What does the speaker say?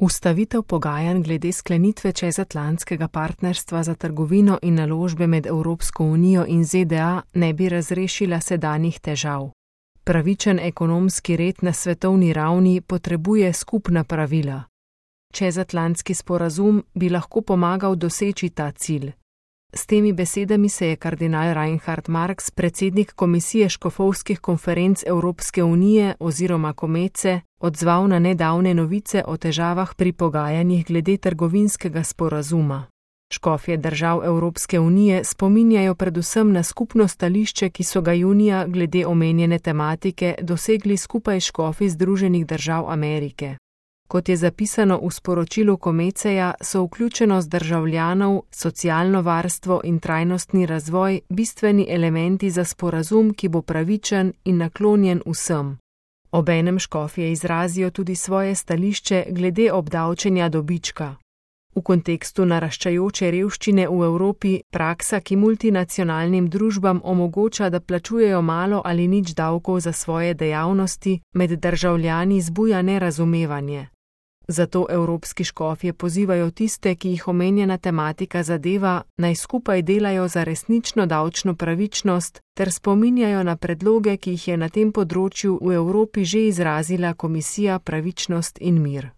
Ustavitev pogajanj glede sklenitve čezatlantskega partnerstva za trgovino in naložbe med Evropsko unijo in ZDA ne bi razrešila sedanjih težav. Pravičen ekonomski red na svetovni ravni potrebuje skupna pravila. Čezatlantski sporazum bi lahko pomagal doseči ta cilj. S temi besedami se je kardinal Reinhard Marx, predsednik Komisije škofovskih konferenc Evropske unije oziroma Komece, odzval na nedavne novice o težavah pri pogajanjih glede trgovinskega sporazuma. Škofje držav Evropske unije spominjajo predvsem na skupno stališče, ki so ga junija glede omenjene tematike dosegli skupaj škofi Združenih držav Amerike. Kot je zapisano v sporočilu Komeceja, so vključenost državljanov, socialno varstvo in trajnostni razvoj bistveni elementi za sporazum, ki bo pravičen in naklonjen vsem. Obenem škofje izrazijo tudi svoje stališče glede obdavčenja dobička. V kontekstu naraščajoče revščine v Evropi praksa, ki multinacionalnim družbam omogoča, da plačujejo malo ali nič davkov za svoje dejavnosti, med državljani zbuja nerazumevanje. Zato evropski škofje pozivajo tiste, ki jih omenjena tematika zadeva, naj skupaj delajo za resnično davčno pravičnost ter spominjajo na predloge, ki jih je na tem področju v Evropi že izrazila Komisija Pravičnost in mir.